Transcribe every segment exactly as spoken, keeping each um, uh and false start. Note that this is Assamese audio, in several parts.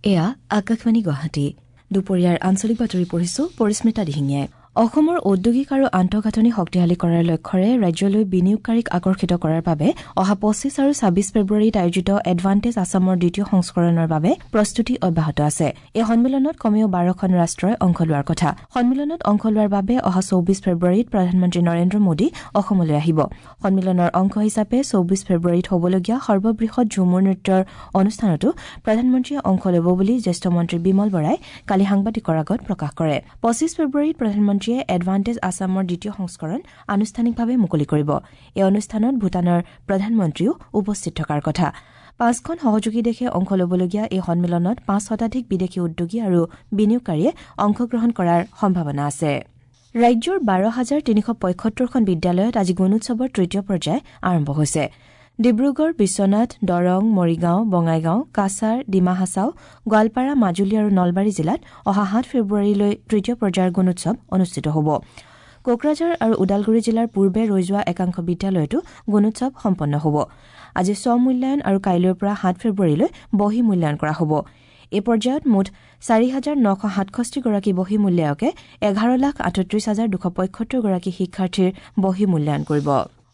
এয়া আকাশবাণী গুৱাহাটী। দুপৰীয়াৰ আঞ্চলিক বাতৰি পঢ়িছো পৰিস্মিতা দিহিঙীয়াই। অসমৰ ঔদ্যোগিক আৰু আন্তঃগাঁথনি শক্তিশালী কৰাৰ লক্ষ্যৰে ৰাজ্যলৈ বিনিয়োগকাৰীক আকৰ্ষিত কৰাৰ বাবে অহা পঁচিছ আৰু ছাব্বিছ ফেব্ৰুৱাৰীত আয়োজিত এডভান্টেজ আছামৰ দ্বিতীয় সংস্কৰণৰ বাবে প্ৰস্তুতি অব্যাহত আছে। এই সন্মিলনত কমেও বাৰখন ৰাষ্ট্ৰই অংশ লোৱাৰ কথা। সন্মিলনত অংশ লোৱাৰ বাবে অহা চৌবিছ ফেব্ৰুৱাৰীত প্ৰধানমন্ত্ৰী নৰেন্দ্ৰ মোদী অসমলৈ আহিব। সন্মিলনৰ অংশ হিচাপে চৌবিছ ফেব্ৰুৱাৰীত হ'বলগীয়া সৰ্ববৃহৎ ঝুমুৰ নৃত্যৰ অনুষ্ঠানতো প্ৰধানমন্ত্ৰীয়ে অংশ ল'ব বুলি জ্যেষ্ঠ মন্ত্ৰী বিমল বৰাই কালি সাংবাদিকৰ আগত প্ৰকাশ কৰে। পঁচিছ ফেব্ৰুৱাৰীত প্ৰধানমন্ত্ৰী এডভান্টেজ আছামৰ দ্বিতীয় সংস্কৰণ আনুষ্ঠানিকভাৱে মুকলি কৰিব। এই অনুষ্ঠানত ভূটানৰ প্ৰধানমন্ত্ৰীও উপস্থিত থকাৰ কথা। পাঁচখন সহযোগী দেশে অংশ ল'বলগীয়া এই সন্মিলনত পাঁচ শতাধিক বিদেশী উদ্যোগী আৰু বিনিয়োগকাৰীয়ে অংশগ্ৰহণ কৰাৰ সম্ভাৱনা আছে। ৰাজ্যৰ বাৰ হাজাৰ তিনিশ পঁয়সত্তৰখন বিদ্যালয়ত আজি গুণোৎসৱৰ তৃতীয় পৰ্যায় আৰম্ভ হৈছে। ডিব্ৰুগড়, বিশ্বনাথ, দৰং, মৰিগাঁও, বঙাইগাঁও, কাছাৰ, ডিমা হাছাও, গোৱালপাৰা, মাজুলী আৰু নলবাৰী জিলাত অহা সাত ফেব্ৰুৱাৰীলৈ তৃতীয় পৰ্যায়ৰ গুণোৎসৱ অনুষ্ঠিত হ'ব। কোকৰাঝাৰ আৰু ওদালগুৰি জিলাৰ পূৰ্বে ৰৈ যোৱা একাংশ বিদ্যালয়তো গুণোৎসৱ সম্পন্ন হ'ব। আজি স্বমূল্যায়ন আৰু কাইলৈৰ পৰা সাত ফেব্ৰুৱাৰীলৈ বহী মূল্যায়ন কৰা হ'ব। এই পৰ্যায়ত মুঠ চাৰি হাজাৰ নশ সাতষষ্ঠিগৰাকী বহী মূল্যায়কে এঘাৰ লাখ আঠত্ৰিশ হাজাৰ দুশ পঁয়সত্তৰগৰাকী শিক্ষাৰ্থীৰ বহী মূল্যায়ন কৰিব।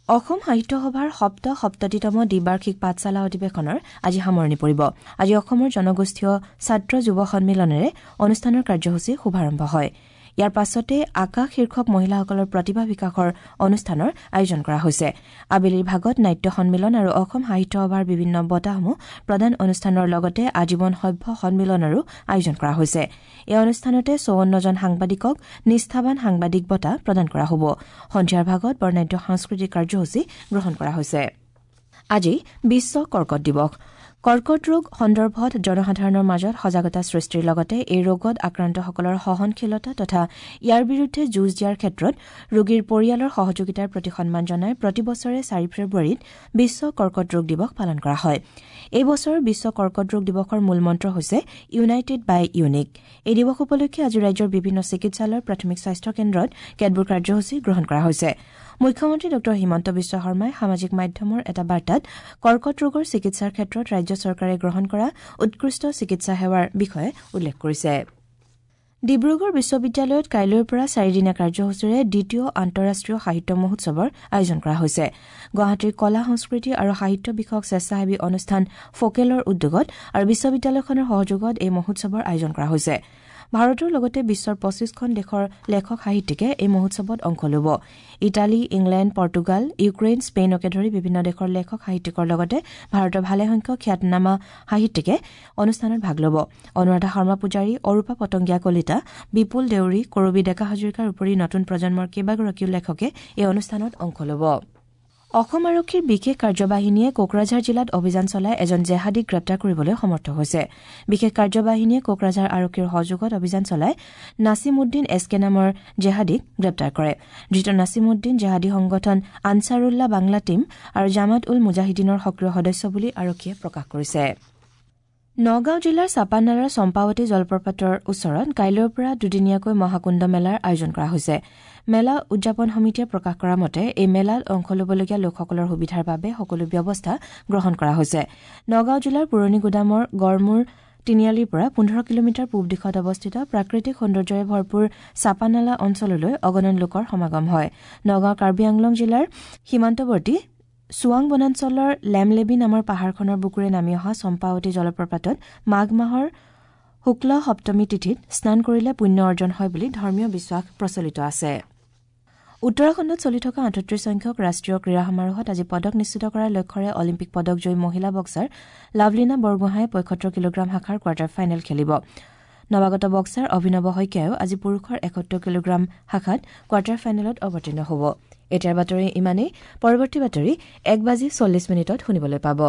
অসম সাহিত্য সভাৰ সপ্ত সপ্ততিতম দ্বিবাৰ্ষিক পাঠশালা অধিৱেশনৰ আজি সামৰণি পৰিব। আজি অসমৰ জনগোষ্ঠীয় ছাত্ৰ যুৱ সন্মিলনেৰে অনুষ্ঠানৰ কাৰ্যসূচী শুভাৰম্ভ হয়। ইয়াৰ পাছতে আকাশ শীৰ্ষক মহিলাসকলৰ প্ৰতিভা বিকাশৰ অনুষ্ঠানৰ আয়োজন কৰা হৈছে। আবেলিৰ ভাগত নাট্য সন্মিলন আৰু অসম সাহিত্য সভাৰ বিভিন্ন বঁটাসমূহ প্ৰদান অনুষ্ঠানৰ লগতে আজীৱন সভ্য সন্মিলনৰো আয়োজন কৰা হৈছে। এই অনুষ্ঠানতে চৌৱন্নজন সাংবাদিকক নিষ্ঠাবান সাংবাদিক বঁটা প্ৰদান কৰা হ'ব। সন্ধিয়াৰ ভাগত বৰ্ণাঢ্য সাংস্কৃতিক কাৰ্যসূচী গ্ৰহণ কৰা হৈছে। আজি বিশ্ব কৰ্কট দিৱস। কৰ্কট ৰোগ সন্দৰ্ভত জনসাধাৰণৰ মাজত সজাগতা সৃষ্টিৰ লগতে এই ৰোগত আক্ৰান্তসকলৰ সহনশীলতা তথা ইয়াৰ বিৰুদ্ধে যুঁজ দিয়াৰ ক্ষেত্ৰত ৰোগীৰ পৰিয়ালৰ সহযোগিতাৰ প্ৰতি সন্মান জনাই প্ৰতি বছৰে চাৰি ফেব্ৰুৱাৰীত বিশ্ব কৰ্কট ৰোগ দিৱস পালন কৰা হয়। এই বছৰ বিশ্ব কৰ্কট ৰোগ দিৱসৰ মূল মন্ত্ৰ হৈছে ইউনাইটেড বাই ইউনিক। এই দিৱস উপলক্ষে আজি ৰাজ্যৰ বিভিন্ন চিকিৎসালয়ৰ প্ৰাথমিক স্বাস্থ্য কেন্দ্ৰত কেতবোৰ কাৰ্যসূচী গ্ৰহণ কৰা হৈছে। মুখ্যমন্ত্ৰী ডঃ হিমন্ত বিশ্ব শৰ্মাই সামাজিক মাধ্যমৰ এটা বাৰ্তাত কৰ্কট ৰোগৰ চিকিৎসাৰ ক্ষেত্ৰত ৰাজ্য চৰকাৰে গ্ৰহণ কৰা উৎকৃষ্ট চিকিৎসা সেৱাৰ বিষয়ে উল্লেখ কৰিছে। ডিব্ৰুগড় বিশ্ববিদ্যালয়ত কাইলৈৰ পৰা চাৰিদিনীয়া কাৰ্যসূচীৰে দ্বিতীয় আন্তঃৰাষ্ট্ৰীয় সাহিত্য মহোৎসৱৰ আয়োজন কৰা হৈছে। গুৱাহাটীৰ কলা, সংস্কৃতি আৰু সাহিত্য বিষয়ক স্বেচ্ছাসেৱী অনুষ্ঠান ফকেলৰ উদ্যোগত আৰু বিশ্ববিদ্যালয়খনৰ সহযোগত এই মহোৎসৱৰ আয়োজন কৰা হৈছে। ভাৰতৰ লগতে বিশ্বৰ পঁচিছখন দেশৰ লেখক সাহিত্যিকে এই মহোৎসৱত অংশ ল'ব। ইটালী, ইংলেণ্ড, পৰ্তুগাল, ইউক্ৰেইন, স্পেইনকে ধৰি বিভিন্ন দেশৰ লেখক সাহিত্যিকৰ লগতে ভাৰতৰ ভালেসংখ্যক খ্যাতনামা সাহিত্যিকে অনুষ্ঠানত ভাগ ল'ব। অনুৰাধা শৰ্মা পূজাৰী, অৰূপা পতংগীয়া কলিতা, বিপুল দেউৰী, কৰবী ডেকা হাজৰিকাৰ উপৰি নতুন প্ৰজন্মৰ কেইবাগৰাকীও লেখকে এই অনুষ্ঠানত অংশ ল'ব। অসম আৰক্ষীৰ বিশেষ কাৰ্যবাহিনীয়ে কোকৰাঝাৰ জিলাত অভিযান চলাই এজন জেহাদীক গ্ৰেপ্তাৰ কৰিবলৈ সমৰ্থ হৈছে। বিশেষ কাৰ্যবাহিনীয়ে কোকৰাঝাৰ আৰক্ষীৰ সহযোগত অভিযান চলাই নাছিমুদ্দিন এছ কে নামৰ জেহাদীক গ্ৰেপ্তাৰ কৰে। ধৃত নাছিমুদ্দিন জেহাদী সংগঠন আনছাৰুল্লাহ বাংলা টীম আৰু জামাত উল মুজাহিদিনৰ সক্ৰিয় সদস্য বুলি আৰক্ষীয়ে প্ৰকাশ কৰিছে। নগাঁও জিলাৰ চাপানালাৰ চম্পাৱতী জলপ্ৰপাতৰ ওচৰত কাইলৈৰ পৰা দুদিনীয়াকৈ মহাকুণ্ড মেলাৰ আয়োজন কৰা হৈছে। মেলা উদযাপন সমিতিয়ে প্ৰকাশ কৰা মতে এই মেলাত অংশ ল'বলগীয়া লোকসকলৰ সুবিধাৰ বাবে সকলো ব্যৱস্থা গ্ৰহণ কৰা হৈছে। নগাঁও জিলাৰ পুৰণি গুদামৰ গড়মূৰ তিনিআলিৰ পৰা পোন্ধৰ কিলোমিটাৰ পূব দিশত অৱস্থিত প্ৰাকৃতিক সৌন্দৰ্যৰে ভৰপূৰ চাপানালা অঞ্চললৈ অগণন লোকৰ সমাগম হয়। নগাঁও কাৰ্বি আংলং জিলাৰ সীমান্তৱৰ্তী চোৱাং বনাঞ্চলৰ লেমলেবি নামৰ পাহাৰখনৰ বুকুৰে নামি অহা চম্পাৱতী জলপ্ৰপাতত মাঘ মাহৰ শুক্ল সপ্তমী তিথিত স্নান কৰিলে পুণ্য অৰ্জন হয় বুলি ধৰ্মীয় বিশ্বাস প্ৰচলিত আছে। উত্তৰাখণ্ডত চলি থকা আঠত্ৰিশ সংখ্যক ৰাষ্ট্ৰীয় ক্ৰীড়া সমাৰোহত আজি পদক নিশ্চিত কৰাৰ লক্ষ্যৰে অলিম্পিক পদকজয়ী মহিলা বক্সাৰ লাভলীনা বৰগোহাঁয়ে পঁয়সত্তৰ কিলোগ্ৰাম শাখাৰ কোৱাৰ্টাৰ ফাইনেল খেলিব। নৱাগত বক্সাৰ অভিনৱ শইকীয়ায়ো আজি পুৰুষৰ এসত্তৰ কিলোগ্ৰাম শাখাত কোৱাৰ্টাৰ ফাইনেলত অৱতীৰ্ণ হ'ব। এতিয়াৰ বাতৰি ইমানেই। পৰৱৰ্তী বাতৰি এক বাজি চল্লিছ মিনিটত শুনিবলৈ পাব।